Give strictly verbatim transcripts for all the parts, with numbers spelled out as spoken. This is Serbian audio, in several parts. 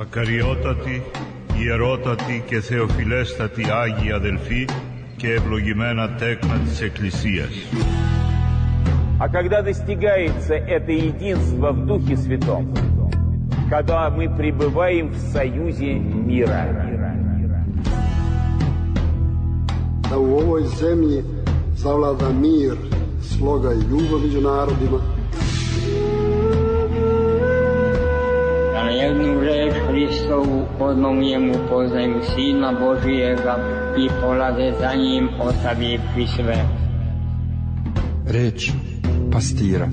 Ακαριότατοι, ιερότατοι και θεοφιλέστατοι Άγιοι αδελφοί και ευλογημένα τέκνα της Εκκλησίας. А когда достигается это единство в Духе Святом, когда мы пребываем в союзе мира. Da u ovoj zemlji zavlada mir, sloga i ljubav među narodima. Da na jednu reč Hristovu odnom njemu poznaju Sina Božijega i polaze za njim ostavivši sve. Reč pastira.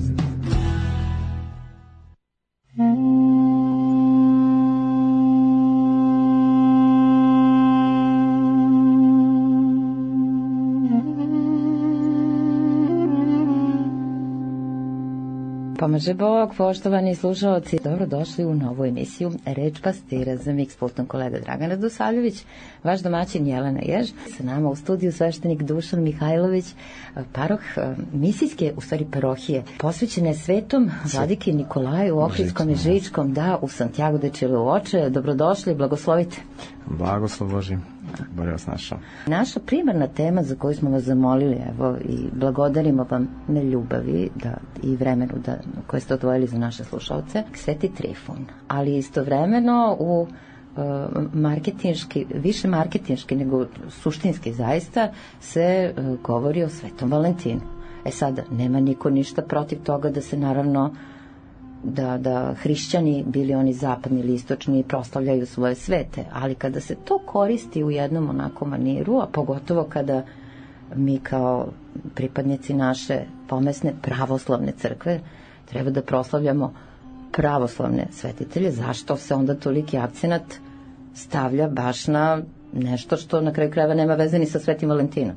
Pomaže Bog, poštovani slušalci, dobrodošli u novu emisiju Reč pastira. Za mikspultom kolega Dragan Radosavljević, vaš domaćin Jelena Jež, sa nama u studiju sveštenik Dušan Mihajlović, paroh misijske, u stvari parohije, posvećene svetom vladiki Nikolaju u Ohridskom i Žičkom, da, u Santiago de Chilovoče. Dobrodošli, blagoslovite. Blagoslov Boži. Bolje vas našao. Naša primarna tema za koju smo vas zamolili, evo, i blagodarimo vam na ljubavi da, i vremenu da, koje ste odvojili za naše slušalce, Sveti Trifun. Ali istovremeno u uh, marketinški, više marketinški nego suštinski zaista se uh, govori o Svetom Valentinu. E sada, nema niko ništa protiv toga da se naravno da, da hrišćani, bili oni zapadni ili istočni, proslavljaju svoje svete, ali kada se to koristi u jednom onako maniru, a pogotovo kada mi kao pripadnici naše pomesne pravoslavne crkve treba da proslavljamo pravoslavne svetitelje, zašto se onda toliki akcenat stavlja baš na nešto što na kraju krajeva nema veze ni sa Svetim Valentinom?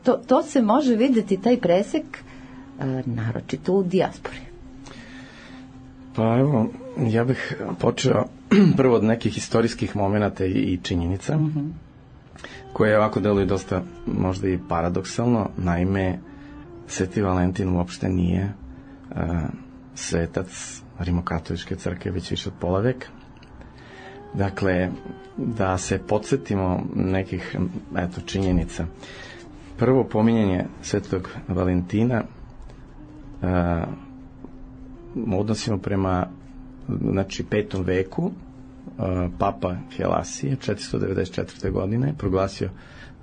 to, to se može videti, taj presek, naročito u dijaspori. Pa evo, ja bih počeo prvo od nekih istorijskih momenata i, i činjenica, mm-hmm. koje ovako deluju dosta možda i paradoksalno. Naime, Sveti Valentin uopšte nije uh, svetac Rimokatoličke crkve već više od pola veka. Dakle, da se podsjetimo nekih eto, činjenica. Prvo pominjanje Svetog Valentina uh, odnosimo prema znači petom veku, uh, Papa Helasije četiristo devedeset četvrte godine proglasio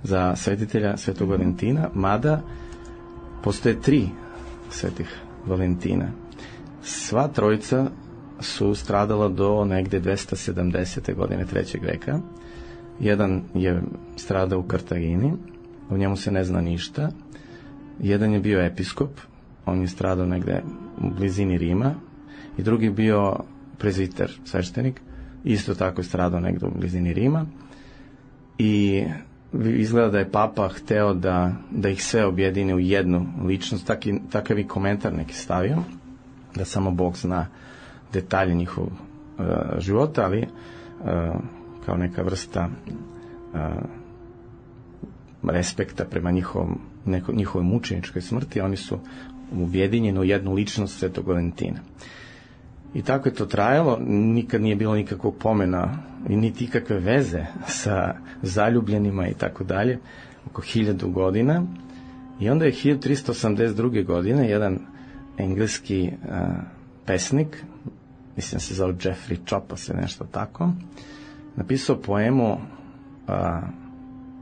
za svetitelja Svetog Valentina, mada postoje tri Svetih Valentina. Sva trojica su stradala do negde dvesta sedamdesete godine trećeg veka. Jedan je stradao u Kartagini, o njemu se ne zna ništa. Jedan je bio episkop, on je stradao negde u blizini Rima, i drugi je bio prezviter, sveštenik, isto tako je stradao negde u blizini Rima, i izgleda da je Papa hteo da, da ih sve objedine u jednu ličnost, taki, takav i komentar neki stavio, da samo Bog zna detalje njihovog uh, života, ali uh, kao neka vrsta uh, respekta prema njihovom, neko, njihovoj mučeničkoj smrti, oni su objedinjeni u jednu ličnost Svetog Valentina. I tako je to trajalo, nikad nije bilo nikakvog pomena i niti ikakve veze sa zaljubljenima i tako dalje, oko hiljadu godina. I onda je hiljadu trista osamdeset druge godine jedan engleski uh, pesnik, mislim da se zove Jeffrey Chopos, nešto tako, napisao poemu uh,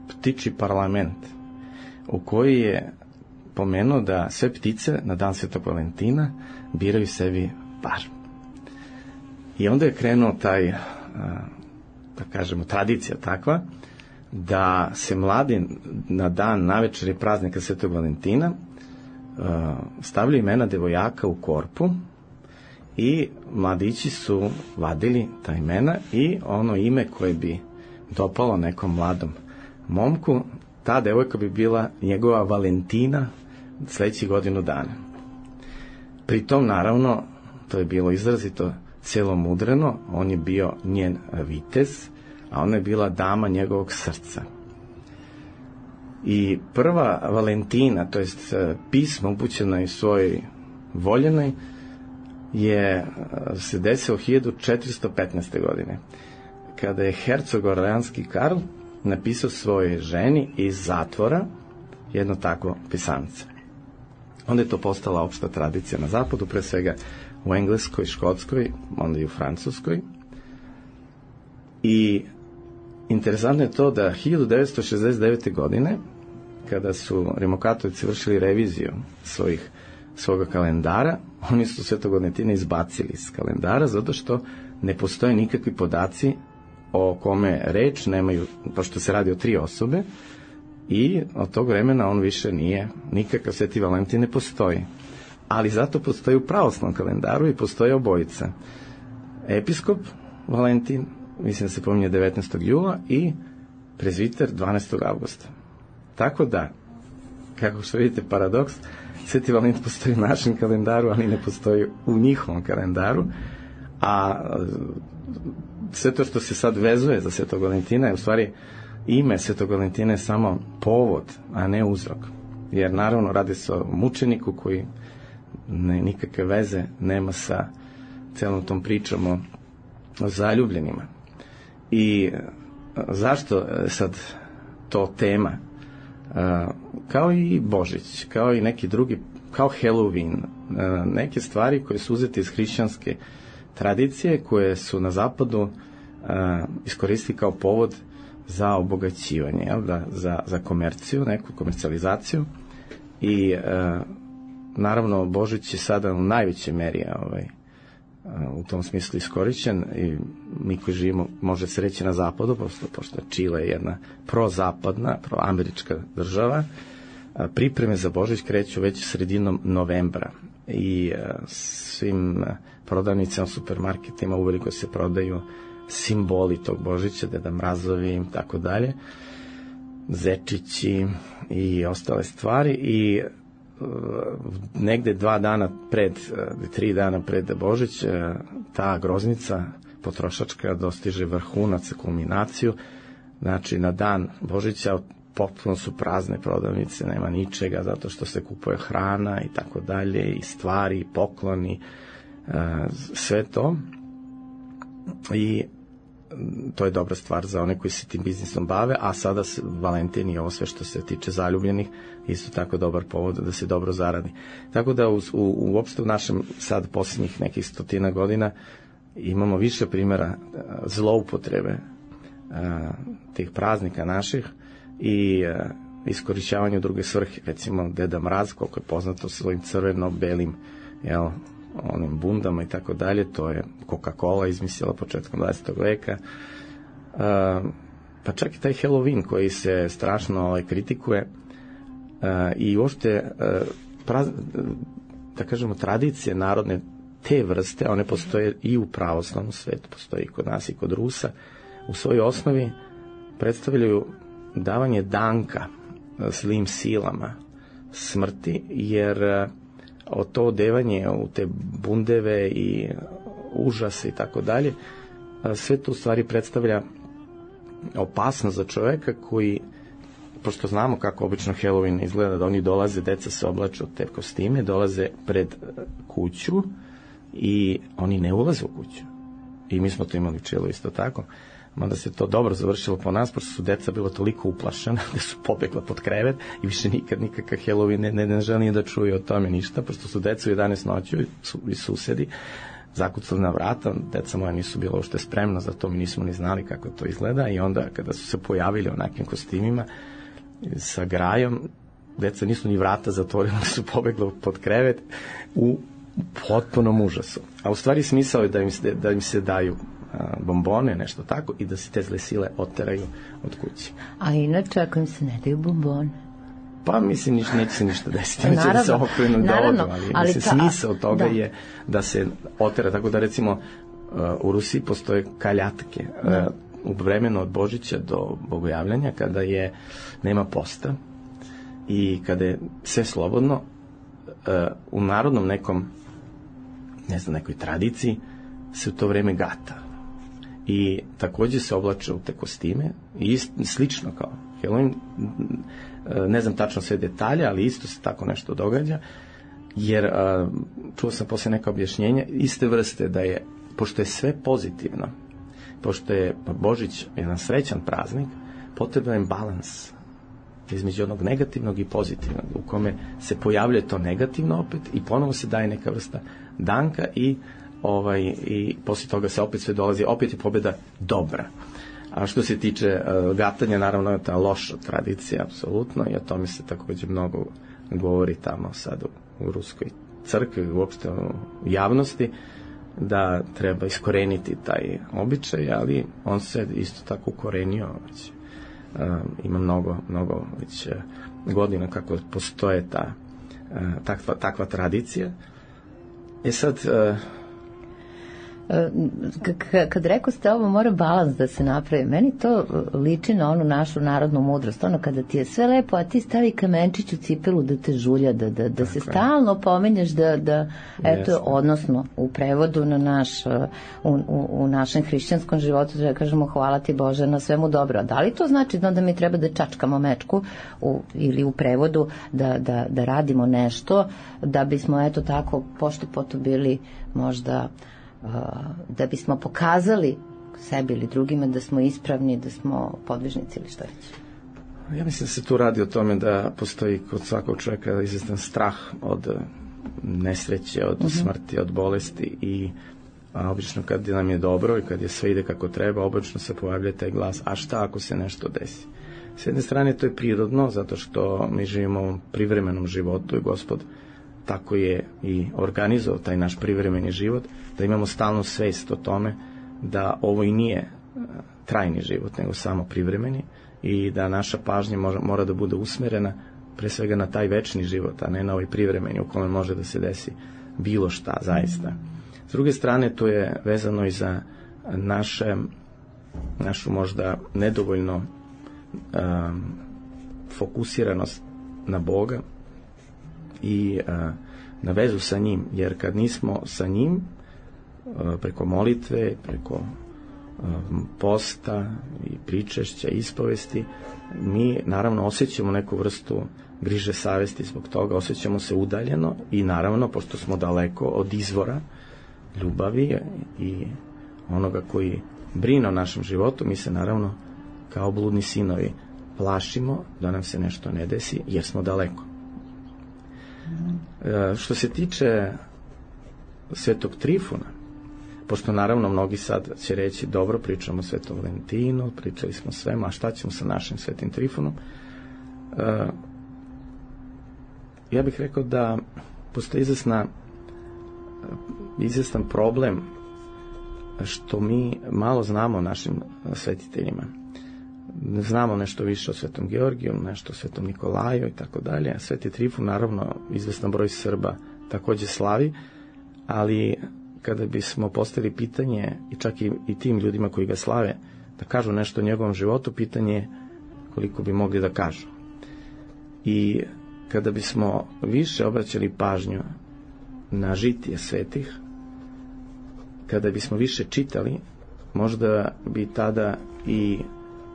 Ptičji parlament, u kojoj je pomenuo da sve ptice na dan Svetog Valentina biraju sebi par. I onda je krenuo taj, da kažemo, tradicija takva, da se mladi na dan navečer i praznika Svetog Valentina stavljaju imena devojaka u korpu i mladići su vadili ta imena i ono ime koje bi dopalo nekom mladom momku, ta devojka bi bila njegova Valentina sledećih godinu dana. Pritom, naravno, to je bilo izrazito celomudreno, on je bio njen vitez, a ona je bila dama njegovog srca. I prva Valentina, to jest pismo upućeno i svojoj voljenoj, je se desilo hiljadu četiristo petnaeste. godine, kada je hercog orleanski Karl napisao svojoj ženi iz zatvora jedno takvo pisance. Onda je to postala opšta tradicija na zapadu, pre svega u Engleskoj, Škotskoj, onda i u Francuskoj. I interesantno je to da hiljadu devetsto šezdeset devete. godine, kada su Rimokatolici vršili reviziju svojih, svoga kalendara, oni su Svetog Valentina izbacili iz kalendara, zato što ne postoje nikakvi podaci o kome reč, nemaju, pošto se radi o tri osobe, i od tog vremena on više nije, nikakav Sveti Valentin ne postoji. Ali zato postoji u pravoslavnom kalendaru i postoje obojica. Episkop Valentin, mislim da se pominje devetnaestog jula, i prezviter dvanaestog avgusta. Tako da, kako što vidite paradoks, Sveti Valentin postoji u našem kalendaru, ali ne postoji u njihovom kalendaru, a sve to što se sad vezuje za Svetog Valentina je u stvari ime Svetog Valentina je samo povod, a ne uzrok. Jer naravno radi se o mučeniku koji ne, nikakve veze nema sa celom tom pričom o, o zaljubljenima. I zašto sad to tema? Kao i Božić, kao i neki drugi, kao Halloween, neke stvari koje su uzete iz hrišćanske tradicije, koje su na zapadu iskoristili kao povod za obogaćivanje, jel da, za, za komerciju, neku komercijalizaciju. I naravno Božić je sada u najvećoj meri ovaj, u tom smislu iskorišćen, i mi koji živimo, može se reći, na zapadu, pošto, pošto Čile je jedna prozapadna, proamerička država. Pripreme za Božić kreću već sredinom novembra i svim prodavnicama, supermarketima uveliko se prodaju simboli tog Božića, Deda Mrazovi, tako dalje, zečići i ostale stvari. I negde dva dana pred, tri dana pred Božić, ta groznica potrošačka dostiže vrhunac, kulminaciju. Znači, na dan Božića potpuno su prazne prodavnice, nema ničega, zato što se kupuje hrana i tako dalje, i stvari, i pokloni, sve to. I to je dobra stvar za one koji se tim biznisom bave, a sada se Valentin i ovo sve što se tiče zaljubljenih isto tako dobar povod da se dobro zaradi. Tako da u, u, uopšte u našem sad posljednjih nekih stotina godina imamo više primjera zloupotrebe a, tih praznika naših i a, iskorišćavanja druge svrhe. Recimo Deda Mraz, koliko je poznato, svojim crveno-belim, jel, onim bundama i tako dalje, to je Coca-Cola izmislila početkom dvadesetog veka. Uh, pa čak i taj Halloween koji se strašno ovaj, kritikuje, uh, i uopšte uh, praz, da kažemo tradicije narodne te vrste, one postoje i u pravoslavnom svetu, postoje i kod nas i kod Rusa, u svojoj osnovi predstavljaju davanje danka zlim silama smrti, jer uh, o to odevanje u te bundeve i užase i tako dalje, sve to u stvari predstavlja opasnost za čoveka koji, pošto znamo kako obično Halloween izgleda, da oni dolaze, deca se oblače od te kostime, dolaze pred kuću i oni ne ulaze u kuću. I mi smo to imali čelo isto tako. Mada se to dobro završilo po nas, pošto su deca bila toliko uplašena da su pobegla pod krevet i više nikad nikakav Halloween ne, ne, ne želi da čuje o tome ništa, pošto su deca u jedanaest noću su, i susedi zakucali na vrata, deca moja nisu bila uopšte spremna za to, mi nismo ni znali kako to izgleda, i onda kada su se pojavili u nekim kostimima sa grajom, deca nisu ni vrata zatvorila, su pobegla pod krevet u potpunom užasu. A u stvari smisao je da im se, da im se daju bombone, nešto tako, i da se te zle sile oteraju od kuće. A inače, ako im se ne daju bombone? Pa mislim, niš, neće se ništa desiti, neće da se okrenu da odu, ali, ali mislim, ta, smisao toga da. je da se otera, tako da recimo u Rusiji postoje kaljatke. Da. U vremenu od Božića do Bogojavljanja, kada je nema posta i kada je sve slobodno, u narodnom nekom, ne znam, nekoj tradiciji se u to vreme gata. I takođe se oblače u te kostime, i ist, slično kao Halloween, ne znam tačno sve detalje, ali isto se tako nešto događa, jer a, čuo sam poslije neka objašnjenja iste vrste da je, pošto je sve pozitivno, pošto je Božić jedan srećan praznik, potreban je balans između onog negativnog i pozitivnog, u kome se pojavljuje to negativno opet i ponovo se daje neka vrsta danka i ovaj i poslije toga se opet sve dolazi, opet je pobjeda dobra. A što se tiče uh, gatanja, naravno je ta loša tradicija, apsolutno, i o tome se također mnogo govori tamo sad u, u ruskoj crkvi, uopšte u javnosti, da treba iskoreniti taj običaj, ali on se isto tako ukorenio već. Uh, ima mnogo, mnogo već uh, godina kako postoje ta uh, takva, takva tradicija. E sad, uh, kad rekao ste ovo, mora balans da se napravi. Meni to liči na onu našu narodnu mudrost, ono kada ti je sve lepo, a ti stavi kamenčić u cipelu da te žulja, da, da, da se stalno pominješ da, da eto, yes. Odnosno u prevodu na naš u, u, u našem hrišćanskom životu da kažemo hvala ti Bože na svemu dobro. Da li to znači da onda mi treba da čačkamo mečku u, ili u prevodu da, da, da radimo nešto da bismo eto tako pošto poto bili možda da bismo pokazali sebi ili drugima da smo ispravni, da smo podvižnici ili što već? Ja mislim da se tu radi o tome da postoji kod svakog čovjeka izvestan strah od nesreće, od uh-huh. smrti, od bolesti i a obično kad nam je dobro i kad je sve ide kako treba, obično se pojavlja taj glas, a šta ako se nešto desi? S jedne strane to je prirodno, zato što mi živimo u ovom privremenom životu i Gospod tako je i organizovao taj naš privremeni život, da imamo stalnu svest o tome da ovo i nije trajni život, nego samo privremeni i da naša pažnja mora, mora da bude usmerena pre svega na taj večni život, a ne na ovaj privremeni u kome može da se desi bilo šta zaista. S druge strane, to je vezano i za naše, našu možda nedovoljno um, fokusiranost na Boga i uh, na vezu sa njim, jer kad nismo sa njim uh, preko molitve, preko uh, posta i pričešća, ispovesti, mi naravno osjećamo neku vrstu griže savesti zbog toga, osjećamo se udaljeno i naravno, pošto smo daleko od izvora ljubavi i onoga koji brine o našem životu, mi se naravno kao bludni sinovi plašimo da nam se nešto ne desi jer smo daleko. E, što se tiče Svetog Trifuna, pošto naravno mnogi sad će reći dobro, pričamo o Svetom Valentinu, pričali smo svema, a šta ćemo sa našim Svetim Trifunom? E, ja bih rekao da postoji izvesna izvestan problem što mi malo znamo o našim svetiteljima. Znamo nešto više o Svetom Georgiju, nešto o Svetom Nikolaju i tako dalje. Sveti Trifun, naravno, izvestan broj Srba također slavi, ali kada bismo postavili pitanje, i čak i, i tim ljudima koji ga slave, da kažu nešto o njegovom životu, pitanje je koliko bi mogli da kažu. I kada bismo više obraćali pažnju na žitije svetih, kada bismo više čitali, možda bi tada i,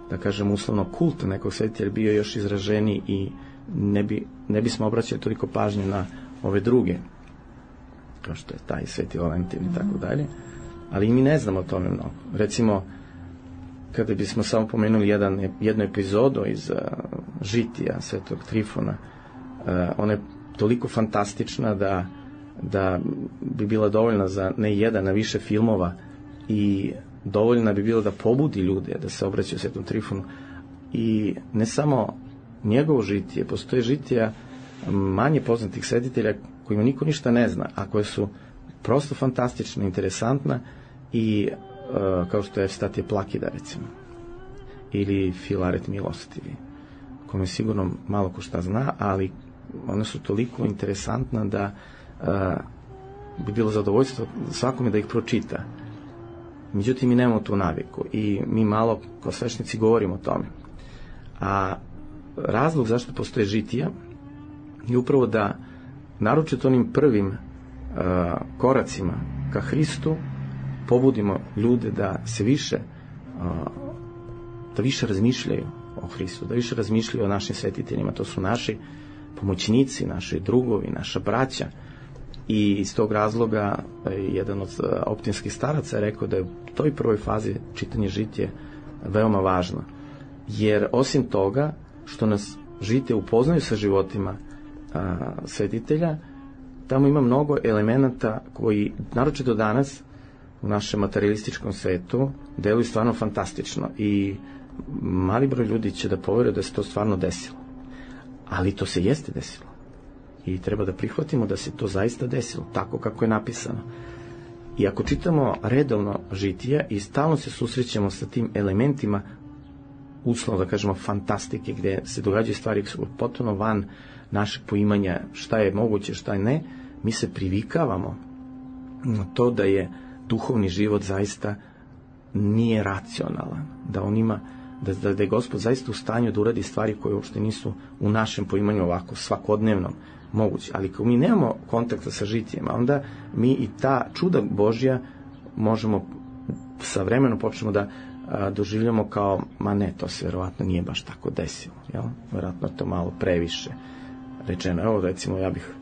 da kažem uslovno, kult nekog svetitelja bio još izraženiji i ne, bi, ne bismo obraćali toliko pažnju na ove druge, kao što je taj Sveti Valentin i tako dalje, ali mi ne znamo o tome mnogo. Recimo, kada bismo samo pomenuli jedan, jednu epizodu iz uh, žitija Svetog Trifuna, uh, ona je toliko fantastična da da bi bila dovoljna za ne jedan, na više filmova i dovoljna bi bila da pobudi ljude da se obraćaju Svetom Trifunu. I ne samo njegovo žitije, postoje žitija manje poznatih svetitelja kojima niko ništa ne zna, a koje su prosto fantastična, interesantna i uh, kao što je Evstatije Plakida recimo ili Filaret Milostivi, kome sigurno malo ko šta zna, ali one su toliko interesantna da Uh, bi bilo zadovoljstvo svakome da ih pročita. Međutim, mi nemamo tu naviku i mi malo kao svešnici govorimo o tome. A razlog zašto postoje žitija je upravo da naročito onim prvim uh, koracima ka Hristu pobudimo ljude da se više uh, da više razmišljaju o Hristu, da više razmišljaju o našim svetiteljima. To su naši pomoćnici, naši drugovi, naša braća, I iz tog razloga jedan od optinskih staraca je rekao da je u toj prvoj fazi čitanje žitije veoma važno. Jer osim toga što nas žitije upoznaju sa životima a, svetitelja, tamo ima mnogo elemenata koji, naročito danas, u našem materialističkom svetu, deluju stvarno fantastično. I mali broj ljudi će da poveruje da se to stvarno desilo. Ali to se jeste desilo. I treba da prihvatimo da se to zaista desilo, tako kako je napisano. I ako čitamo redovno žitija i stalno se susrećemo sa tim elementima, uslovno da kažemo fantastike, gde se događaju stvari potpuno van našeg poimanja šta je moguće, šta je ne, mi se privikavamo na to da je duhovni život zaista nije racionalan, da on ima, da, da je Gospod zaista u stanju da uradi stvari koje uopšte nisu u našem poimanju ovako svakodnevnom moguće. Ali ako mi nemamo kontakta sa žitijema, onda mi i ta čuda Božja možemo sa vremenom počnemo da a, doživljamo kao, ma ne, to se verovatno nije baš tako desilo, jel? Verovatno je to malo previše rečeno. Evo, recimo, ja bih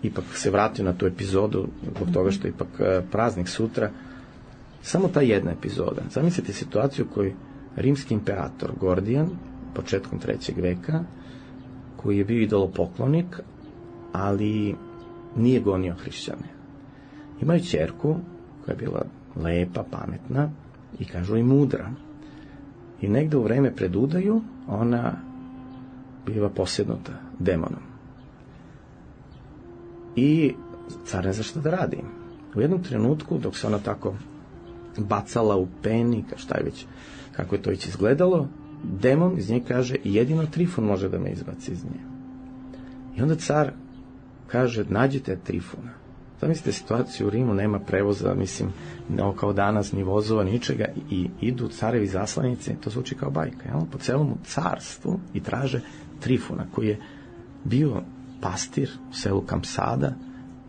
ipak se vratio na tu epizodu, zbog toga što je ipak a, praznik sutra. Samo ta jedna epizoda. Zamislite situaciju u kojoj rimski imperator Gordijan, početkom trećeg veka, koji je bio idolopoklonik, ali nije gonio hrišćane. Imaju ćerku koja je bila lepa, pametna i kažu i mudra. I negde u vreme pred udaju ona biva posjednuta demonom. I car ne zna šta da radi. U jednom trenutku, dok se ona tako bacala u peni, šta je već, kako je to već izgledalo, demon iz nje kaže, jedino Trifun može da me izbaci iz nje. I onda car kaže, nađite Trifuna. Zamislite situaciju u Rimu, nema prevoza, mislim, kao danas, ni vozova, ničega, i idu carevi zaslanice, to zvuči kao bajka, jel? Po celom carstvu i traže Trifuna, koji je bio pastir u selu Kampsada,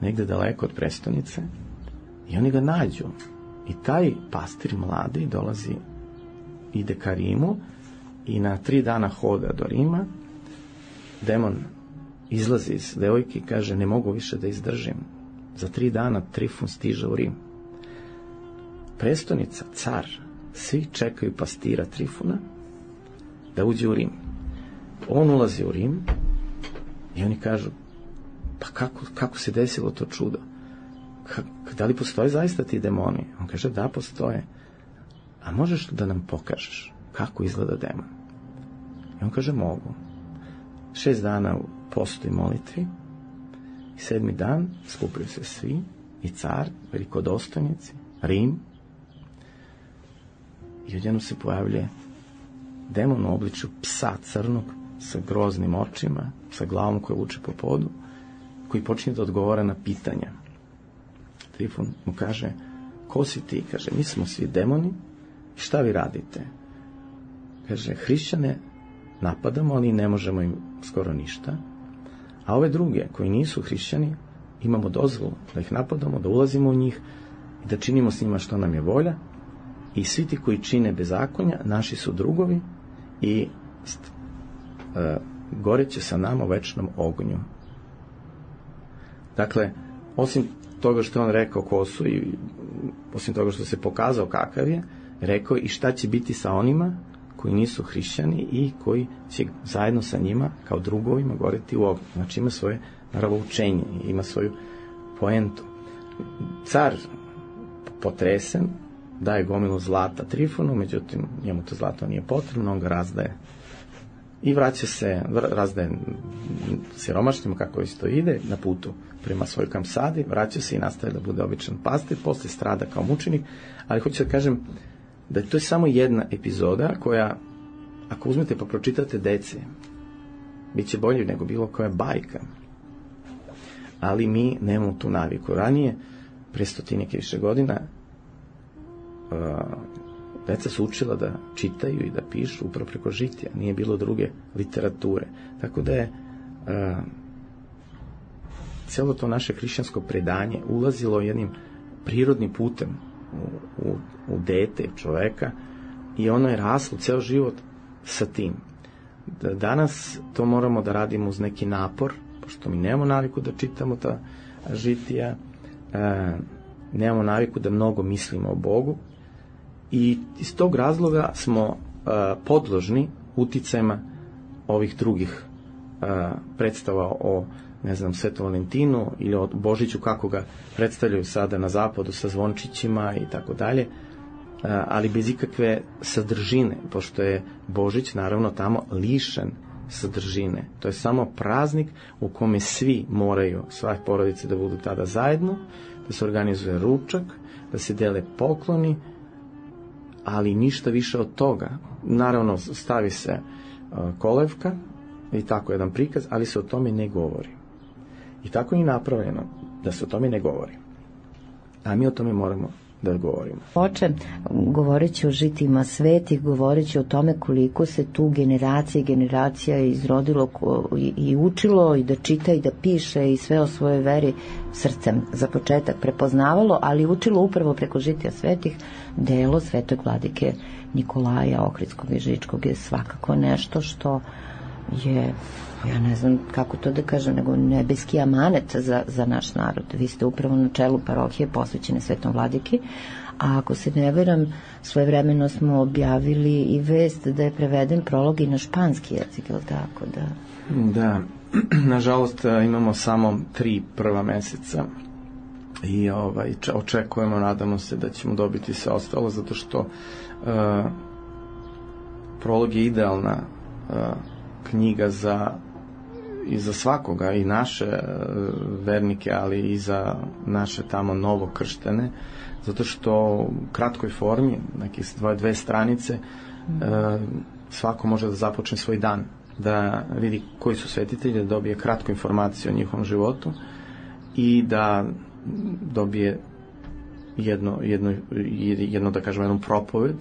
negde daleko od prestonice, i oni ga nađu. I taj pastir mladi dolazi, ide ka Rimu i na tri dana hoda do Rima, demon izlazi iz devojke i kaže, ne mogu više da izdržim. Za tri dana Trifun stiže u Rim. Prestonica, car, svi čekaju pastira Trifuna da uđe u Rim. On ulazi u Rim i oni kažu, pa kako, kako se desilo to čudo? Ka, da li postoje zaista ti demoni? On kaže, da, postoje. A možeš da nam pokažeš kako izgleda demon? I on kaže, mogu. Šest dana u postu i molitvi i sedmi dan skupili se svi, i car, velikodostojnici, Rim, i odjednom se pojavljuje demon u obličju psa crnog sa groznim očima, sa glavom koja vuče po podu, koji počinje da odgovara na pitanja. Trifun mu kaže, ko si ti? Kaže, mi smo svi demoni, i šta vi radite? Kaže, hrišćane napadamo, ali ne možemo im skoro ništa, a ove druge, koji nisu hrišćani, imamo dozvolu da ih napadamo, da ulazimo u njih i da činimo s njima što nam je volja, i svi ti koji čine bezakonja, naši su drugovi i e, goreće sa nama u večnom ognju. Dakle, osim toga što je on rekao ko su i osim toga što se pokazao kakav je, rekao i šta će biti sa onima koji nisu hrišćani i koji će zajedno sa njima kao drugovima goreti u ognju. Znači ima svoje nravoučenje, ima svoju poentu. Car potresen daje gomilu zlata Trifunu, međutim njemu to zlato nije potrebno, on ga razdaje i vraća se, razdaje siromašnjima kako isto ide na putu prema svojoj Kampsadi, vraća se i nastaje da bude običan pastir, posle strada kao mučenik, ali hoću da kažem da je to samo jedna epizoda koja, ako uzmete pa pročitate deci, bit će bolje nego bilo koja bajka. Ali mi nemamo tu naviku. Ranije, pre stotinik i više godina, uh, deca su učila da čitaju i da pišu upravo preko žitija. Nije bilo druge literature. Tako da je uh, cijelo to naše hrišćansko predanje ulazilo jednim prirodnim putem u, u, u dete čoveka i ono je raslo ceo život sa tim. Danas to moramo da radimo uz neki napor, pošto mi nemamo naviku da čitamo ta žitija, e, nemamo naviku da mnogo mislimo o Bogu i iz tog razloga smo e, podložni uticajima ovih drugih e, predstava o, ne znam, Svetom Valentinu ili o Božiću kako ga predstavljaju sada na zapadu sa zvončićima i tako dalje, ali bez ikakve sadržine, pošto je Božić naravno tamo lišen sadržine. To je samo praznik u kome svi moraju, sve porodice da budu tada zajedno, da se organizuje ručak, da se dele pokloni, ali ništa više od toga. Naravno, stavi se kolevka i tako jedan prikaz, ali se o tome ne govori. I tako je i napravljeno da se o tome ne govori. A mi o tome moramo da govorimo. Oče, govoreći o žitima svetih, govoreći o tome koliko se tu generacija i generacija izrodilo i, i učilo i da čita i da piše i sve o svojoj veri srcem za početak prepoznavalo, ali učilo upravo preko žitija svetih, delo svetog vladike Nikolaja Ohridskog i Žičkog je svakako nešto što je, ja ne znam kako to da kažem, nego nebeski amanet za, za naš narod. Vi ste upravo na čelu parohije posvećene Svetom Vladiki, a ako se ne veram, svojevremeno smo objavili i vest da je preveden prolog i na španski jezik, je li tako? Da, da. Nažalost imamo samo tri prva meseca i ovaj, očekujemo, nadamo se da ćemo dobiti sve ostalo, zato što uh, prolog je idealna uh, knjiga za i za svakoga, i naše vernike, ali i za naše tamo novo krštene, zato što u kratkoj formi, nekih dve, dve stranice, mm. e, svako može da započne svoj dan, da vidi koji su svetitelji, da dobije kratku informaciju o njihovom životu i da dobije jedno, jedno, jedno da kažem, jednu propoved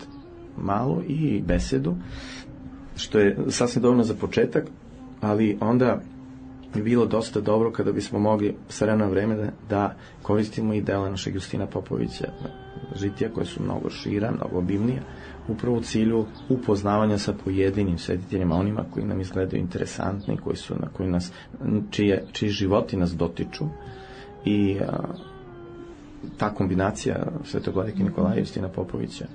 malu i besedu, što je sasvim dovoljno za početak, ali onda bi bilo dosta dobro kada bismo mogli s vremena na vreme da, da koristimo i dela našeg Justina Popovića žitija, koje su mnogo šira, mnogo obimnija, upravo u cilju upoznavanja sa pojedinim svetiteljima, onima koji nam izgledaju interesantni, koji su, na koji nas, čije, čiji životi nas dotiču, i a, ta kombinacija Svetog vladike Nikolaja i Justina Popovića,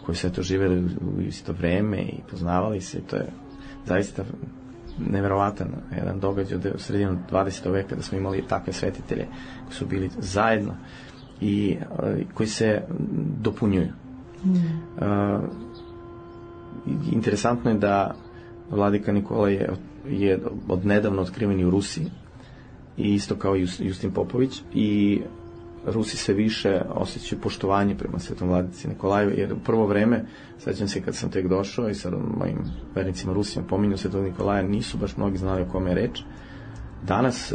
koji sve to živeli u isto vreme i poznavali se, to je zaista neverovatan jedan događaj od sredinu dvadesetog veka, da smo imali takve svetitelje koji su bili zajedno i uh, koji se dopunjuju. Mm. Uh, interesantno je da vladika Nikola je, je od nedavno otkriven i u Rusiji, i isto kao i Justin Popović, i Rusi sve više osjećaju poštovanje prema Svetom vladici Nikolaju, jer u prvo vreme, sećam se kad sam tek došao i sa mojim vernicima Rusima pominju Svetog Nikolaja, nisu baš mnogi znali o kome je reč. Danas,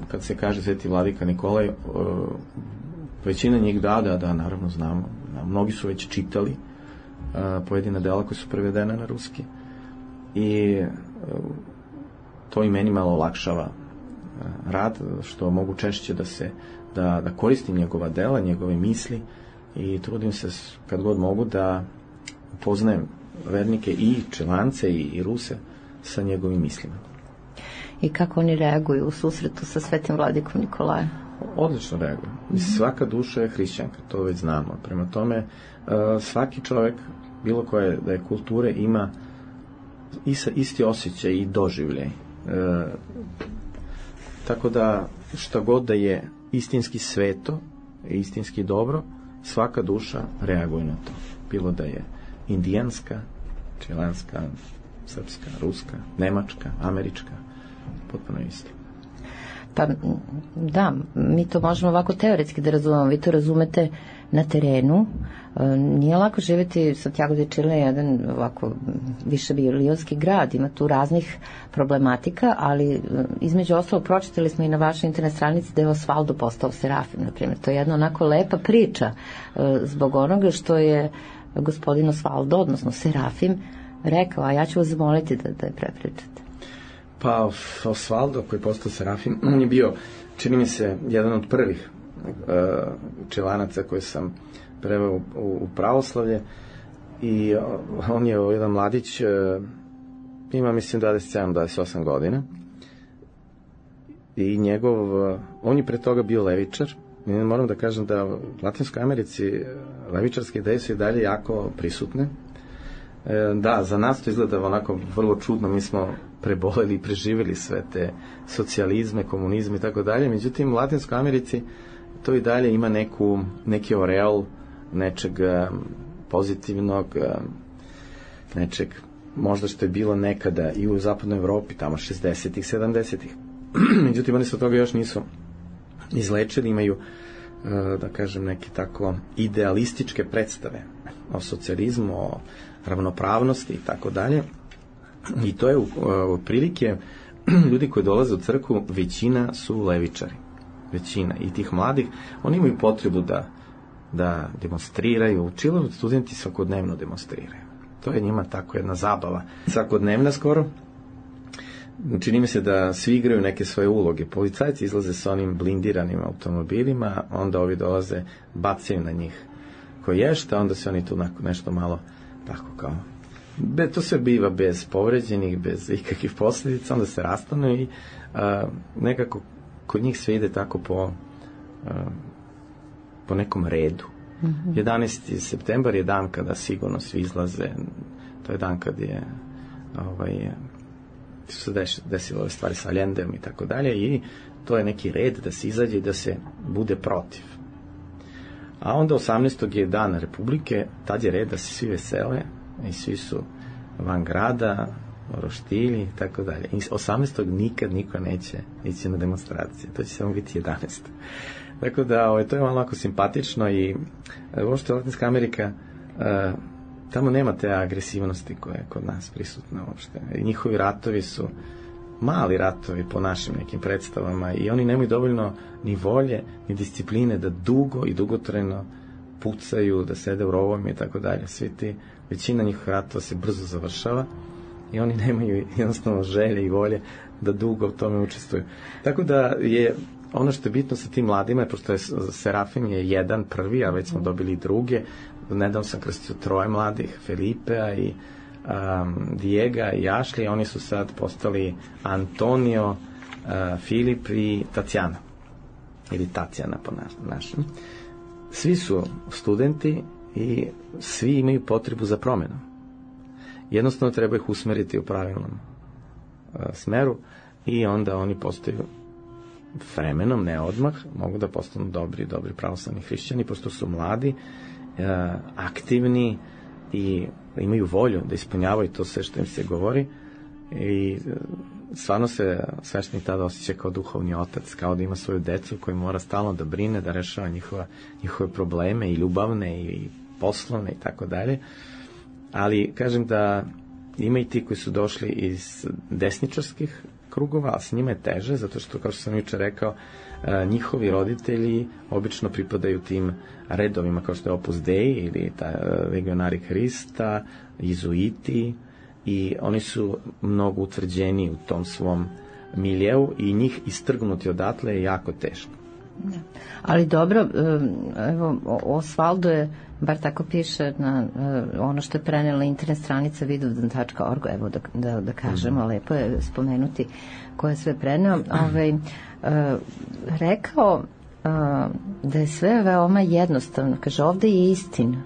kad se kaže Sveti vladika Nikolaj, većina njih da, da, da, naravno znamo. Mnogi su već čitali pojedina dela koje su prevedene na ruski i to i meni malo olakšava rad, što mogu češće da se Da, da koristim njegova dela, njegove misli, i trudim se kad god mogu da upoznajem vernike i Čilance i, i Ruse sa njegovim mislima. I kako oni reaguju u susretu sa Svetim vladikom Nikolajem? Odlično reaguju. Mm-hmm. Svaka duša je hrišćanka, to već znamo. Prema tome, svaki čovjek, bilo koje da je kulture, ima isti osjećaj i doživljaj. Tako da, šta god da je istinski sveto, istinski dobro, svaka duša reaguje na to. Bilo da je indijanska, čilanska, srpska, ruska, nemačka, američka, potpuno isto. Pa da, mi to možemo ovako teoretski da razumemo, vi to razumete na terenu. Nije lako živjeti, Santiago de Chile je jedan ovako više bilionski grad, ima tu raznih problematika, ali između ostalog pročitali smo i na vašoj internet stranici da je Osvaldo postao serafim, na primjer. To je jedna onako lepa priča zbog onoga što je gospodin Osvaldo, odnosno serafim, rekao, a ja ću vas zamoliti da, da je prepričate. Pa Osvaldo, koji je postao serafim, on je bio, čini mi se, jedan od prvih uh, čilanaca koje sam preveo u, u pravoslavlje, i uh, on je jedan mladić, uh, ima mislim dvadeset sedam dvadeset osam godina, i njegov, on je pre toga bio levičar. Moram da kažem da u Latinskoj Americi levičarske ideje su i dalje jako prisutne. Da, za nas to izgleda onako vrlo čudno, mi smo preboleli i preživjeli sve te socijalizme, komunizme i tako dalje, međutim u Latinskoj Americi to i dalje ima neku, neki oreol nečeg pozitivnog, nečeg možda što je bilo nekada i u zapadnoj Evropi, tamo šezdesetih, sedamdesetih. Međutim, oni se od toga još nisu izlečili, imaju, da kažem, neke tako idealističke predstave o socijalizmu, o ravnopravnosti i tako dalje. I to je otprilike ljudi koji dolaze u crkvu, većina su levičari. Većina. I tih mladih, oni imaju potrebu da, da demonstriraju. U Čilu studenti svakodnevno demonstriraju. To je njima tako jedna zabava. Svakodnevna skoro. Čini mi se da svi igraju neke svoje uloge. Policajci izlaze sa onim blindiranim automobilima, onda ovi dolaze, bacaju na njih koješta, onda se oni tu nešto malo tako kao... Be, to sve biva bez povređenih, bez ikakvih posljedica, onda se rastanu i a, nekako kod njih sve ide tako po, a, po nekom redu. Mm-hmm. jedanaesti septembar je dan kada sigurno svi izlaze, to je dan kad je ovaj, su se desile ove stvari sa Allendem i tako dalje i to je neki red da se izađe i da se bude protiv. A onda osamnaestog je dan Republike, tad je red da se svi vesele i svi su van grada, roštilji i tako dalje. I osamnaestog nikad niko neće ići na demonstracije. To će samo biti jedanaestog Tako da, ovo, to je malo lako simpatično i uopšte Latinska Amerika, uh, tamo nema te agresivnosti koja je kod nas prisutna uopšte. I njihovi ratovi su mali ratovi po našim nekim predstavama i oni nemaju dovoljno ni volje, ni discipline da dugo i dugotrajno pucaju, da sede u rovovima i tako dalje. Svi ti, većina njihovih ratova se brzo završava i oni nemaju jednostavno želje i volje da dugo u tome učestvuju. Tako da je ono što je bitno sa tim mladima, pošto je Serafim je jedan prvi, a već smo dobili druge. Nedavno sam krstio troje mladih, Felipea i um, Diega i Ashley, oni su sad postali Antonio, uh, Filip i Tatjana. Ili Tatjana po našem. Svi su studenti i svi imaju potrebu za promjenu. Jednostavno treba ih usmeriti u pravilnom uh, smeru i onda oni postaju vremenom, ne odmah, mogu da postanu dobri, dobri pravoslavni hrišćani, pošto su mladi, uh, aktivni i imaju volju da ispunjavaju to sve što im se govori i uh, stvarno se sveštenik tada osjeća kao duhovni otac, kao da ima svoju decu koju mora stalno da brine, da rešava njihova, njihove probleme i ljubavne i poslovne i tako dalje. Ali kažem da ima i ti koji su došli iz desničarskih krugova, a s njima je teže, zato što, kao što sam juče rekao, njihovi roditelji obično pripadaju tim redovima kao što je Opus Dei ili ta Legionari Hrista, Izuiti, i oni su mnogo utvrđeni u tom svom miljeu i njih istrgnuti odatle je jako teško. Da. Ali dobro, evo, Osvaldo je, bar tako piše na ono što je prenela internet stranica vidovdan tačka org, evo da, da, da kažemo, mm. lepo je spomenuti ko je sve preneo, ovaj, uh, rekao uh, da je sve veoma jednostavno, kaže ovde je istina.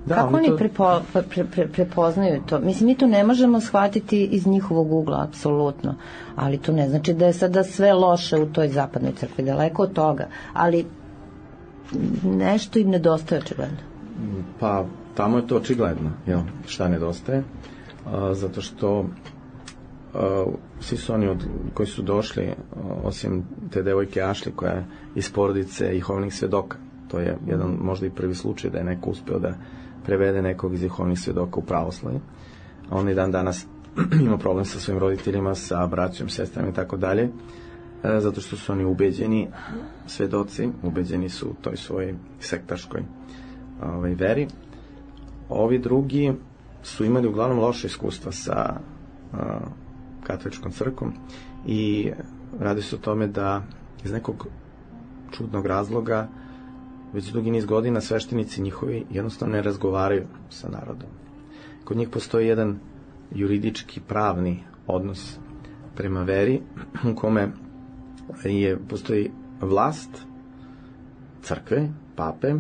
Da, kako oni to... prepo, pre, pre, prepoznaju to? Mislim, mi to ne možemo shvatiti iz njihovog ugla, apsolutno, ali to ne znači da je sada sve loše u toj zapadnoj crkvi, daleko od toga, ali nešto im nedostaje očigledno. Pa, tamo je to očigledno, jel, šta nedostaje, a, zato što a, svi su oni od, koji su došli, osim te devojke Ashley koja je iz porodice Jehovnih svedoka, to je jedan možda i prvi slučaj da je neko uspeo da prevede nekog iz Jehovnih svedoka u pravoslavlje. On i dan danas ima problem sa svojim roditeljima, sa braćom, sestrama i tako dalje, zato što su oni ubeđeni svedoci, ubeđeni su u toj svojoj sektaškoj ovaj, veri. Ovi drugi su imali uglavnom loše iskustva sa uh, katoličkom crkvom i radi se o tome da iz nekog čudnog razloga već dugi niz godina sveštenici njihovi jednostavno ne razgovaraju sa narodom. Kod njih postoji jedan juridički pravni odnos prema veri u kome je, postoji vlast crkve, pape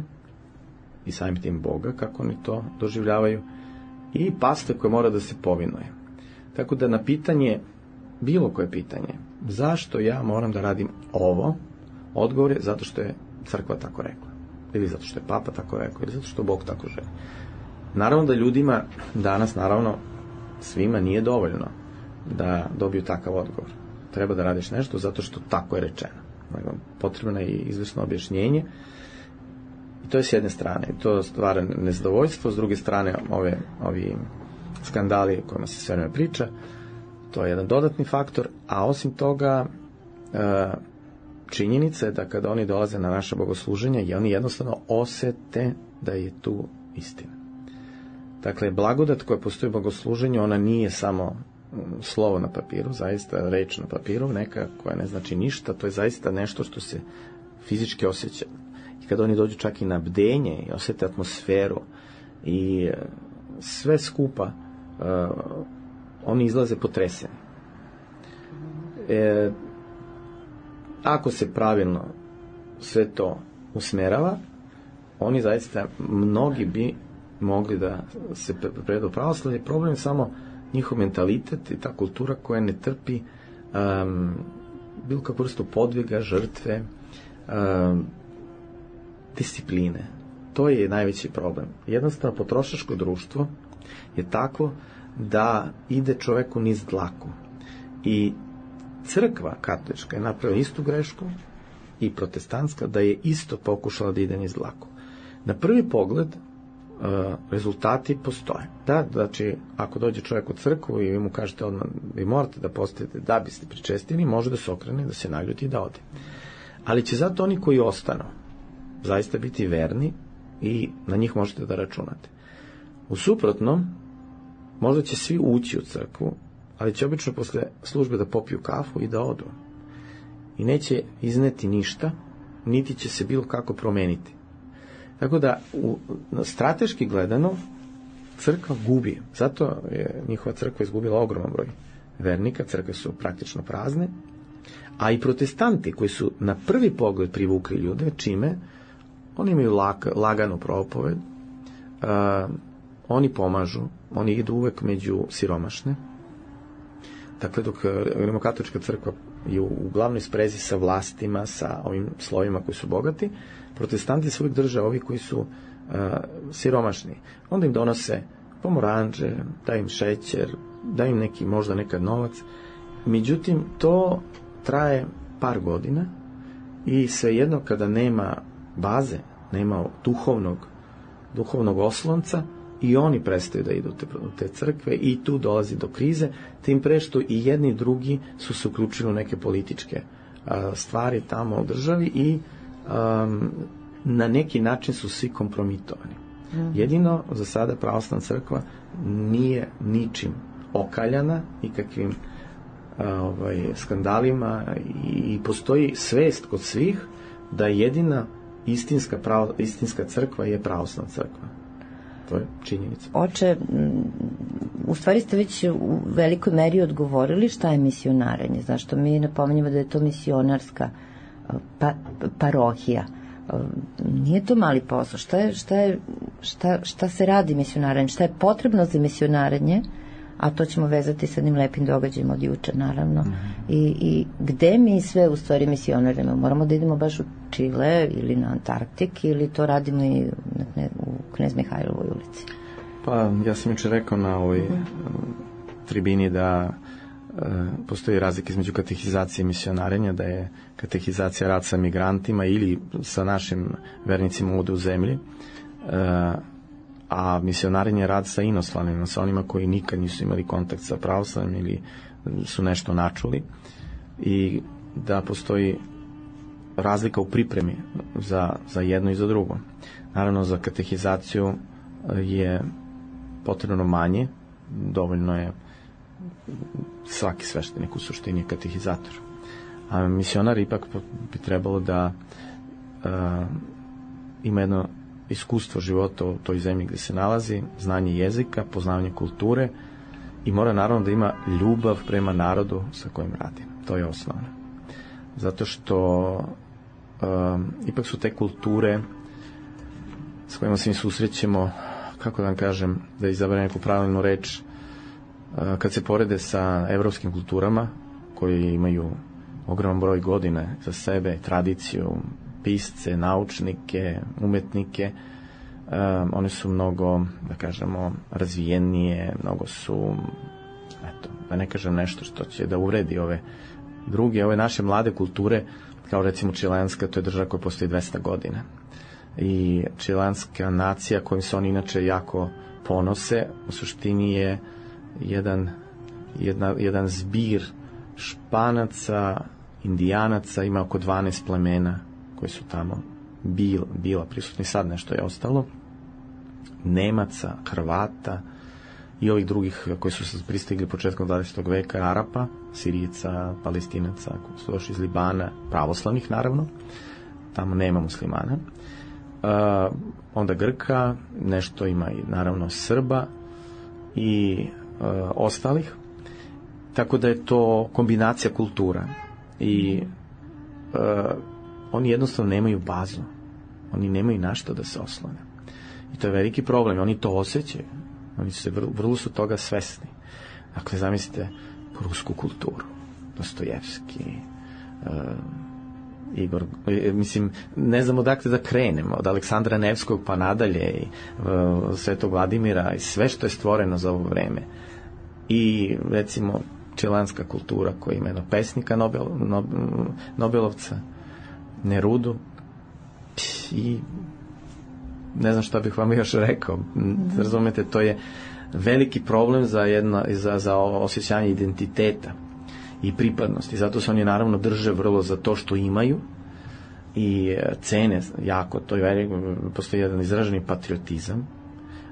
i samim tim Boga, kako oni to doživljavaju, i paste koje mora da se povinuje. Tako da na pitanje, bilo koje pitanje, zašto ja moram da radim ovo, odgovor je zato što je crkva tako rekla, ili zato što je papa tako rekao, ili zato što Bog tako želi. Naravno da ljudima danas, naravno, svima nije dovoljno da dobiju takav odgovor. Treba da radiš nešto zato što tako je rečeno. Potrebno je i izvesno objašnjenje. I to je s jedne strane. To stvara nezadovoljstvo, s druge strane ove, ovi skandali o kojima se sve vreme priča, to je jedan dodatni faktor, a osim toga činjenica je da kada oni dolaze na naše bogosluženje i oni jednostavno osete da je tu istina. Dakle, blagodat koja postoji u bogosluženju, ona nije samo slovo na papiru, zaista reč na papiru, neka koja ne znači ništa, to je zaista nešto što se fizički osjeća. I kada oni dođu čak i na bdenje i osjete atmosferu i sve skupa, uh, oni izlaze potreseni. E, ako se pravilno sve to usmerava, oni zaista, mnogi bi mogli da se prevedu pravoslavlje. Problem je samo njihov mentalitet i ta kultura koja ne trpi um, bilo kakvu vrstu podviga, žrtve, um, discipline. To je najveći problem. Jednostavno, potrošačko društvo je tako da ide čoveku niz dlaku. I crkva katolička je napravila istu grešku i protestantska, da je isto pokušala da ide niz dlaku. Na prvi pogled rezultati postoje. Da, znači, ako dođe čovjek u crkvu i vi mu kažete odmah, vi morate da postojite da biste pričestili, može da se okrene, da se naljuti i da ode. Ali će zato oni koji ostanu zaista biti verni i na njih možete da računate. U suprotnom, možda će svi ući u crkvu, ali će obično posle službe da popiju kafu i da odu. I neće izneti ništa, niti će se bilo kako promeniti. Tako da, u, strateški gledano, crkva gubi. Zato je njihova crkva izgubila ogroman broj vernika, crkve su praktično prazne, a i protestanti koji su na prvi pogled privukli ljude, čime? Oni imaju lag, laganu propoved, uh, oni pomažu, oni idu uvek među siromašne. Dakle, dok rimokatolička crkva je u glavnoj sprezi sa vlastima, sa ovim slovima koji su bogati, protestanti se uvijek drže ovi koji su uh, siromašni. Onda im donose pomoranđe, da im šećer, da im neki, možda nekad novac. Međutim, to traje par godina i svejedno kada nema baze, nema duhovnog, duhovnog oslonca, i oni prestaju da idu te, te crkve i tu dolazi do krize, tim pre što i jedni i drugi su se uključili u neke političke a, stvari tamo u državi i a, na neki način su svi kompromitovani. Mm. Jedino za sada pravoslavna crkva nije ničim okaljana, nikakvim a, ovaj, skandalima i, i postoji svest kod svih da jedina istinska, pravo, istinska crkva je pravoslavna crkva. To je činjenica. Oče, u stvari ste već u velikoj meri odgovorili šta je misionarenje. Zašto mi napominjamo da je to misionarska pa, parohija. Nije to mali posao. Šta, je, šta, je, šta, šta se radi misionarenje? Šta je potrebno za misionarenje? A to ćemo vezati sa jednim lepim događajem od juče, naravno. Mm-hmm. I, I gde mi sve u stvari misionarimo? Moramo da idemo baš u Čile ili na Antarktik ili to radimo i ne, u Knez Mihajlovoj ulici? Pa, ja sam juče rekao na ovoj mm-hmm. tribini da e, postoji razlika između katehizacije i misionarenja, da je katehizacija rad sa migrantima ili sa našim vernicima ovde u zemlji, e, a misionarenje je rad sa inostranim, sa onima koji nikad nisu imali kontakt sa pravoslavnim ili su nešto načuli, i da postoji razlika u pripremi za, za jedno i za drugo. Naravno, za katehizaciju je potrebno manje, dovoljno je svaki sveštenik u suštini katehizator. A misionar ipak bi trebalo da uh, ima jedno iskustvo života u toj zemlji gde se nalazi, znanje jezika, poznavanje kulture i mora naravno da ima ljubav prema narodu sa kojim radi. To je osnovno. Zato što um, ipak su te kulture s kojima se mi susrećemo, kako da vam kažem, da izaberem neku pravilnu reč, uh, kad se porede sa evropskim kulturama koje imaju ogroman broj godine za sebe, tradiciju, pisce, naučnike, umetnike, um, one su mnogo, da kažemo, razvijenije, mnogo su, eto, da ne kažem nešto što će da uvredi ove druge, ove naše mlade kulture, kao recimo čileanska, to je država koja postoji dvesta godina. I čileanska nacija kojim se oni inače jako ponose, u suštini je jedan, jedna, jedan zbir Španaca, Indijanaca, ima oko dvanaest plemena koji su tamo bil, bila prisutni, sad nešto je ostalo, Nemaca, Hrvata i ovih drugih koji su se pristigli početkom dvadesetog veka, Arapa, Sirijaca, Palestinaca, koji su došli iz Libana, pravoslavnih naravno, tamo nema muslimana, uh, onda Grka, nešto ima i naravno Srba i uh, ostalih, tako da je to kombinacija kultura i uh, oni jednostavno nemaju bazu, oni nemaju na što da se oslone i to je veliki problem, oni to osjećaju, oni su se, vrlo, vrlo su toga svesni. Dakle, zamislite rusku kulturu, Dostojevski, uh, Igor, mislim, ne znam odakle da krenemo, od Aleksandra Nevskog pa nadalje i uh, Svetog Vladimira i sve što je stvoreno za ovo vreme. I recimo čileanska kultura koja ima jednog pesnika Nobel, Nobel, Nobelovca, Nerudu, i ne znam šta bih vam još rekao. Razumete, to je veliki problem za, jedno, za, za osjećanje identiteta i pripadnosti. Zato se oni naravno drže vrlo za to što imaju i cene jako. To je, postoji jedan izraženi patriotizam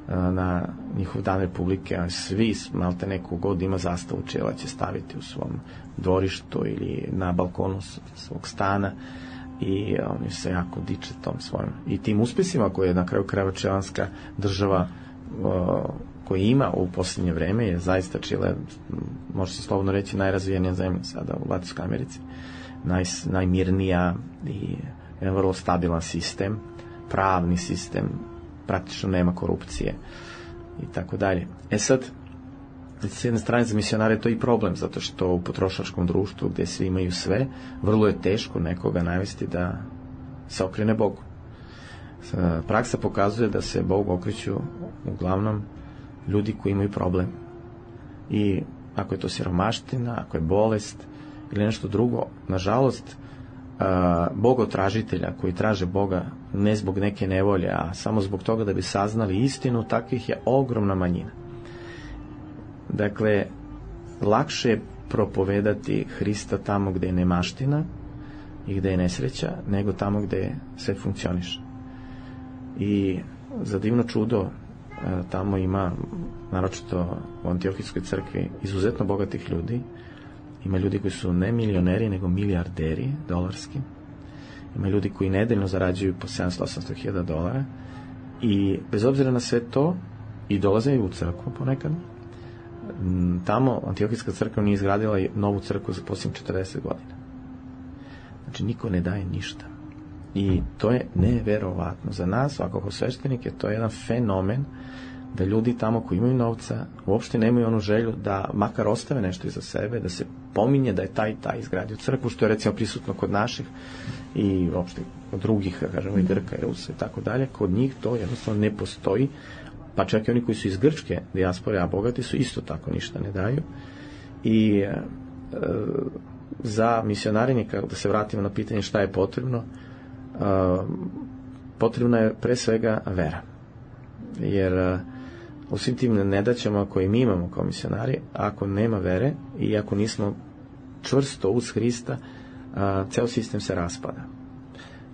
na njihov dan Republike, a svi, malte neku god ima zastavu Čila će staviti u svom dvorištu ili na balkonu svog stana i oni se jako diče tom svojim i tim uspesima koje je na kraju krajeva čileanska država koji ima u posljednje vreme je zaista Čile, može se slobodno reći, najrazvijenija zemlja sada u Latinskoj Americi, Naj, najmirnija i jedan vrlo stabilan sistem, pravni sistem, praktično nema korupcije i tako dalje. E sad, s jedne strane za misionare je to i problem, zato što u potrošačkom društvu gdje svi imaju sve, vrlo je teško nekoga navesti da se okrene Bogu. Praksa pokazuje da se Bogu okreću uglavnom ljudi koji imaju problem. I ako je to siromaština, ako je bolest ili nešto drugo, nažalost, bogotražitelja koji traže Boga ne zbog neke nevolje, a samo zbog toga da bi saznali istinu, takvih je ogromna manjina. Dakle, lakše je propovedati Hrista tamo gde je nemaština i gde je nesreća, nego tamo gde sve funkcioniše. I za divno čudo tamo ima, naročito u Antiohijskoj crkvi, izuzetno bogatih ljudi. Ima ljudi koji su ne milioneri, nego milijarderi dolarski. Ima ljudi koji nedeljno zarađuju po sedamsto do osamsto hiljada dolara i bez obzira na sve to i dolaze u crkvu ponekad. Tamo Antiohijska crkva nije izgradila novu crkvu za posljednjih četrdeset godina. Znači niko ne daje ništa. I to je neverovatno. Za nas, svakako kao sveštenike, to je jedan fenomen da ljudi tamo koji imaju novca uopšte nemaju onu želju da makar ostave nešto iza sebe, da se pominje da je taj i taj izgradio crkvu, što je recimo prisutno kod naših i uopšte kod drugih, kažemo i Grka i Rusa i tako dalje. Kod njih to jednostavno ne postoji, pa čak i oni koji su iz grčke dijaspore, a bogati su, isto tako ništa ne daju. I e, za misionarenje, da se vratimo na pitanje šta je potrebno, e, potrebna je pre svega vera. Jer e, u svim tim nedaćama koje mi imamo kao misionari, ako nema vere i ako nismo čvrsto uz Hrista, a, ceo sistem se raspada.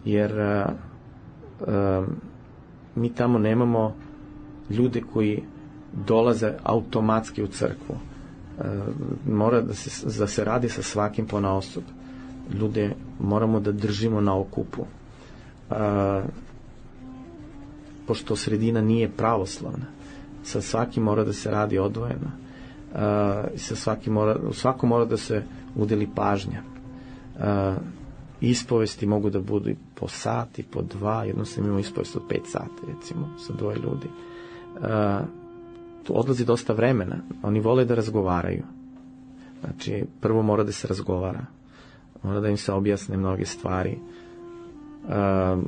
Jer a, a, mi tamo nemamo ljude koji dolaze automatski u crkvu. A, mora da se, da se radi sa svakim ponaosob. Ljude moramo da držimo na okupu. A, pošto sredina nije pravoslavna, sa svakim mora da se radi odvojeno. i sa svaki mora, svako mora da se udeli pažnja. Uh, ispovesti mogu da budu i po sat i po dva, jednostavno imamo ispovest od pet sati, recimo, sa dvoje ljudi. Uh, tu odlazi dosta vremena, oni vole da razgovaraju. Znači, prvo mora da se razgovara, mora da im se objasne mnoge stvari. Uh,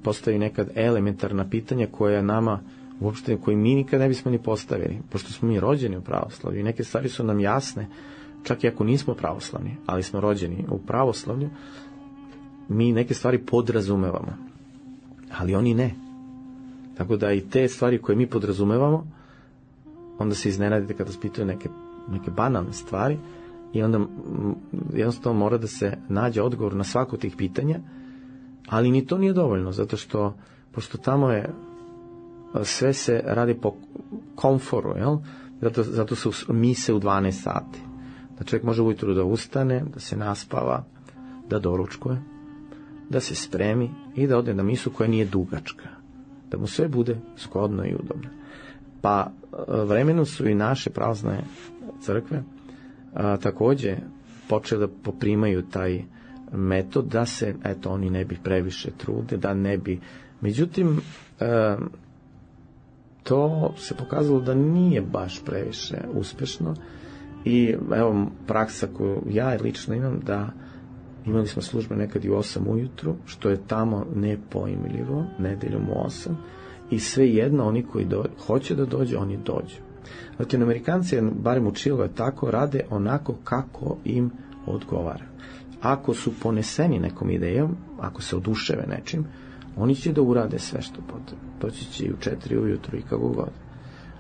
postoji nekad elementarna pitanja koja nama uopšte, koji mi nikad ne bismo ni postavili, pošto smo mi rođeni u pravoslavlju i neke stvari su nam jasne, čak i ako nismo pravoslavni, ali smo rođeni u pravoslavlju, mi neke stvari podrazumevamo, ali oni ne. Tako da i te stvari koje mi podrazumevamo, onda se iznenadite kada se pitaju neke, neke banalne stvari i onda jednostavno mora da se nađe odgovor na svako od tih pitanja, ali ni to nije dovoljno, zato što, pošto tamo je, sve se radi po komforu, jel? Zato, zato su mise u dvanaest sati. Da čovjek može ujutru da ustane, da se naspava, da doručkuje, da se spremi i da ode na misu koja nije dugačka. Da mu sve bude zgodno i udobno. Pa vremenom su i naše pravoslavne crkve a, takođe počele da poprimaju taj metod da se, eto, oni ne bi previše trude, da ne bi... Međutim, a, to se pokazalo da nije baš previše uspešno i evo praksa koju ja lično imam, da imali smo službe nekad i u osam ujutru, što je tamo nepojmljivo, nedeljom u osam, i sve jedno oni koji do, hoće da dođe, oni dođu. Latinoamerikanci, barem u Čilu je tako, rade onako kako im odgovara. Ako su poneseni nekom idejom, ako se oduševe nečim, oni će da urade sve što potrebno. Doći će i u četiri ujutru i kako god.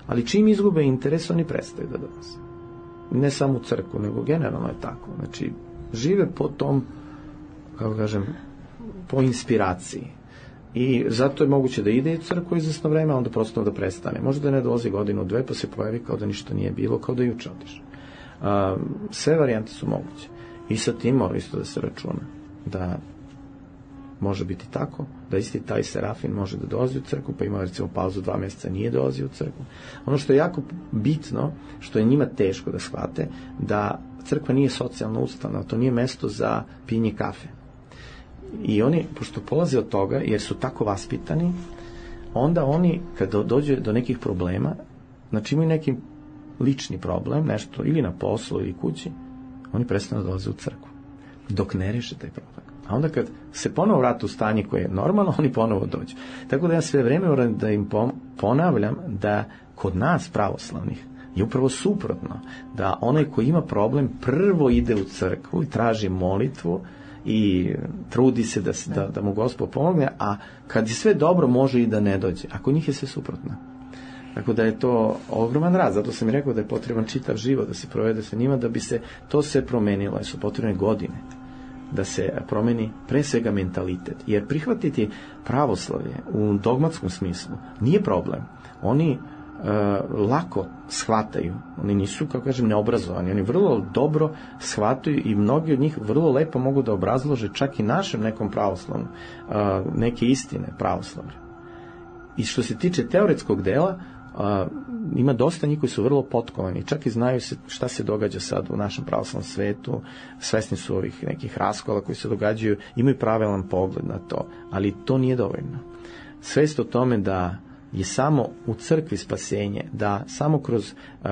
Ali čim izgube interes, oni prestaju da dolaze. Ne samo u crkvu, nego generalno je tako. Znači, žive po tom, kako kažem, po inspiraciji. I zato je moguće da ide u crkvu izvesno vreme, a onda prosto da prestane. Možda da ne dolazi godinu, dve, pa se pojavi kao da ništa nije bilo, kao da juče otišao. Sve varijante su moguće. I sa tim mora isto da se računa. Da može biti tako, da isti taj Serafin može da dolazi u crkvu, pa ima recimo pauzu dva mjeseca, nije dolazi u crkvu. Ono što je jako bitno, što je njima teško da shvate, da crkva nije socijalna ustanova, to nije mesto za pijenje kafe. I oni, pošto polaze od toga, jer su tako vaspitani, onda oni, kada dođe do nekih problema, znači imaju neki lični problem, nešto, ili na poslu, ili kući, oni prestanu da dolaze u crkvu, dok ne reše taj problem. A onda kad se ponovo vrate u stanje koje je normalno, oni ponovo dođu. Tako da ja sve vreme moram da im ponavljam da kod nas pravoslavnih je upravo suprotno, da onaj koji ima problem prvo ide u crkvu i traži molitvu i trudi se da, da, da mu Gospod pomogne, a kad je sve dobro može i da ne dođe. A kod njih je sve suprotno. Tako da je to ogroman rad, zato sam i rekao da je potreban čitav život da se provede sa njima, da bi se to sve promenilo, jer su potrebne godine da se promeni pre svega mentalitet. Jer prihvatiti pravoslavlje u dogmatskom smislu nije problem. Oni e, lako shvataju, oni nisu, kako kažem, neobrazovani, oni vrlo dobro shvataju i mnogi od njih vrlo lepo mogu da obrazlože čak i našem nekom pravoslavnom e, neke istine pravoslavlja. I što se tiče teoretskog dela, Uh, ima dosta njih koji su vrlo potkovani, čak i znaju se šta se događa sad u našem pravoslavnom svetu, svesni su ovih nekih raskola koji se događaju, imaju pravilan pogled na to, ali to nije dovoljno. Svest o tome da je samo u crkvi spasenje, da samo kroz uh,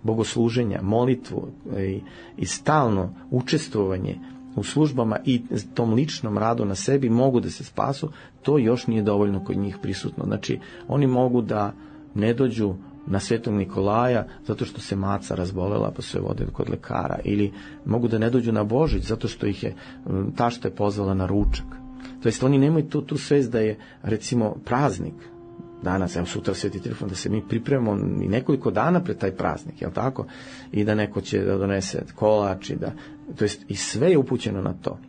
bogosluženja, molitvu i, i stalno učestvovanje u službama i tom ličnom radu na sebi mogu da se spasu, to još nije dovoljno kod njih prisutno. Znači, oni mogu da ne dođu na Svetog Nikolaja zato što se maca razbolela pa su je vode kod lekara, ili mogu da ne dođu na Božić zato što ih je tašta je pozvala na ručak. To jest oni nemaju tu, tu svest da je recimo praznik danas, evo sutra Sveti Trifon, da se mi pripremamo i nekoliko dana pred taj praznik, jel tako? I da neko će da donese kolač i da, to jest i sve je upućeno na to.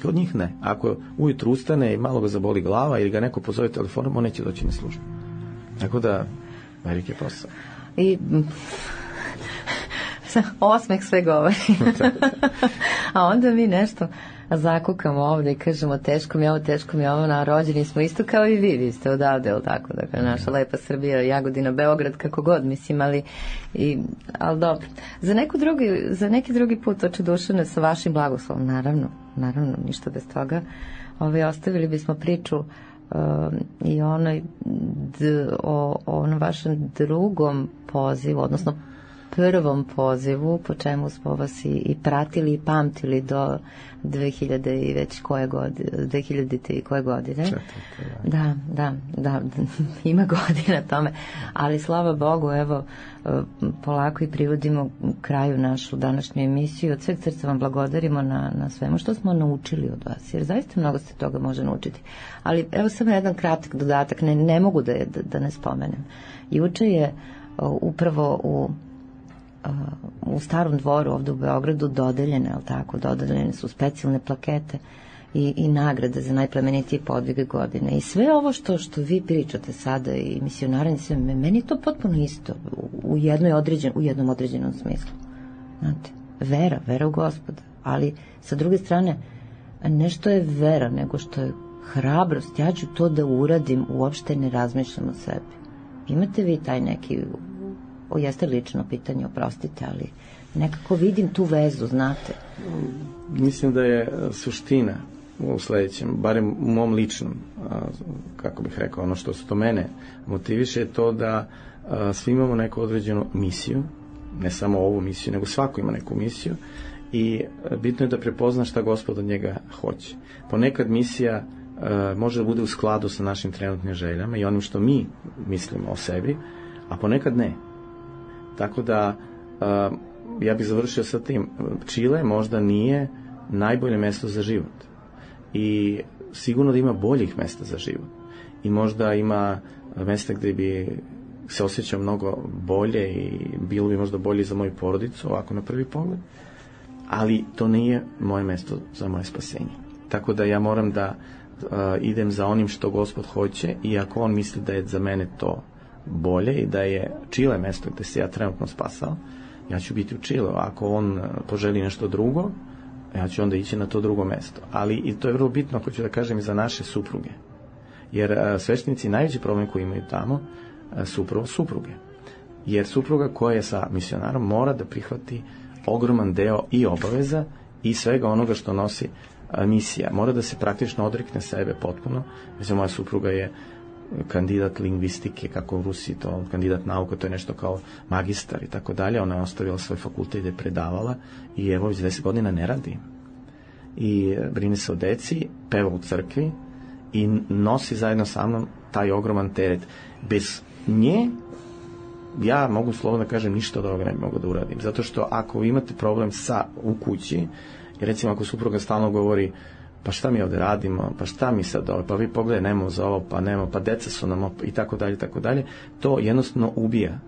Kod njih ne. Ako ujutru ustane i malo ga zaboli glava ili ga neko pozove telefonom, on neće doći na službu. Tako da, veliki posao. I osmeh sve govori. A onda mi nešto zakukamo ovde i kažemo teško mi je ovo, teško mi je ovo, na rođeni smo isto kao i vi, vi ste odavde, ili tako, dakle, naša lepa Srbija, Jagodina, Beograd, kako god, mislim, ali, i, ali dobro. Za, neku drugi, za neki drugi put, oče Dušane, sa vašim blagoslovom, naravno, naravno, ništa bez toga, ovaj, ostavili bismo priču uh, i onoj, d, o, o onom vašem drugom pozivu, odnosno prvom pozivu, po čemu smo vas i, i pratili i pamtili do dve hiljade i već koje godine, dve hiljade i koje godine. Četvrte, da, da, da, ima godina tome, ali slava Bogu, evo, polako i privodimo kraju našu današnju emisiju. Od sveg srca vam blagodarimo na, na svemu što smo naučili od vas, jer zaista mnogo se toga može naučiti. Ali evo samo jedan kratak dodatak, ne, ne mogu da, da, da ne spomenem. Juče je upravo u u Starom dvoru ovde u Beogradu dodeljene, ali tako, dodeljene su specijalne plakete i, i nagrade za najplemenitije podvige godine. I sve ovo što, što vi pričate sada i misionarani, sve, meni je to potpuno isto u, jednoj određen, u jednom određenom smislu. Znate, vera, vera u Gospoda, ali sa druge strane nešto je vera nego što je hrabrost. Ja ću to da uradim, uopšte ne razmišljam o sebi. Imate vi taj neki... O, jeste lično pitanje, oprostite, ali nekako vidim tu vezu, znate. Mislim da je suština u sledećem, barem u mom ličnom, kako bih rekao, ono što se to mene motiviše, je to da svi imamo neku određenu misiju, ne samo ovu misiju, nego svako ima neku misiju i bitno je da prepozna šta Gospod od njega hoće. Ponekad misija može da bude u skladu sa našim trenutnim željama i onim što mi mislimo o sebi, a ponekad ne. Tako da, uh, ja bih završio sa tim. Čile možda nije najbolje mesto za život. I sigurno da ima boljih mesta za život. I možda ima mesta gde bi se osjećao mnogo bolje i bilo bi možda bolje za moju porodicu, ovako na prvi pogled. Ali to nije moje mesto za moje spasenje. Tako da ja moram da uh, idem za onim što Gospod hoće i ako on misli da je za mene to bolje i da je Čile mesto gde se ja trenutno spasao, ja ću biti u Čileu. Ako on poželi nešto drugo, ja ću onda ići na to drugo mesto. Ali i to je vrlo bitno, hoću da kažem, i za naše supruge. Jer a, sveštenici najveći problem koji imaju tamo a, su upravo supruge. Jer supruga koja je sa misionarom mora da prihvati ogroman deo i obaveza i svega onoga što nosi a, misija. Mora da se praktično odrekne sebe potpuno. Mislim, moja supruga je kandidat lingvistike, kako u Rusiji to, kandidat nauka, to je nešto kao magistar i tako dalje. Ona je ostavila svoj fakultet gde je predavala i evo već deset godina ne radi. I brine se o deci, peva u crkvi i nosi zajedno sa mnom taj ogroman teret. Bez nje ja mogu slobodno da kažem ništa od ovoga ne mogu da uradim. Zato što ako imate problem sa u kući, recimo ako supruga stalno govori pa šta mi ovde radimo, pa šta mi sad ovo, pa vi pogledaj, nemamo za ovo, pa nemamo, pa deca su nam i tako dalje, tako dalje, to jednostavno ubija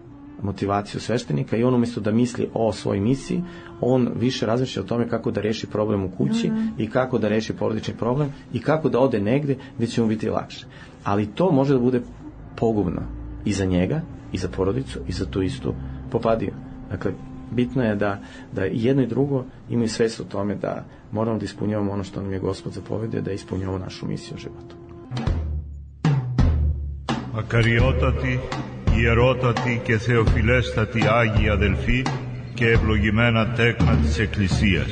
motivaciju sveštenika i on umjesto da misli o svojoj misiji, on više razmišlja o tome kako da reši problem u kući mm-hmm. i kako da reši porodični problem i kako da ode negde gde će mu biti lakše. Ali to može da bude pogubno i za njega, i za porodicu, i za tu istu popadiju. Dakle, bitno je da, da jedno i drugo imaju svest o tome da moramo da ispunjavamo ono što nam je Gospod zapovedio, da ispunjavamo našu misiju u životu. Ακαριότατη, ιερότατη και θεοφιλέστατη Άγια Αδελφή και ευλογημένα τέκνα της Εκκλησίας.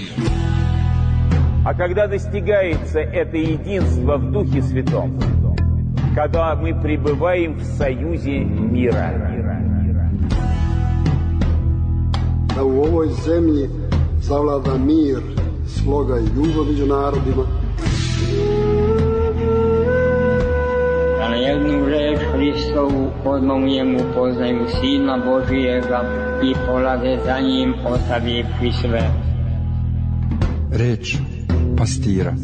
А когда достигается это единство в Духе Святом, когда мы пребываем в союзе мира, da u ovoj zemlji zavlada mir, sloga i ljubav među narodima, da na jednu reč Hristovu odmomijemu poznaju Sina Božijega i polade za njim ostavivši sve. Reč pastira.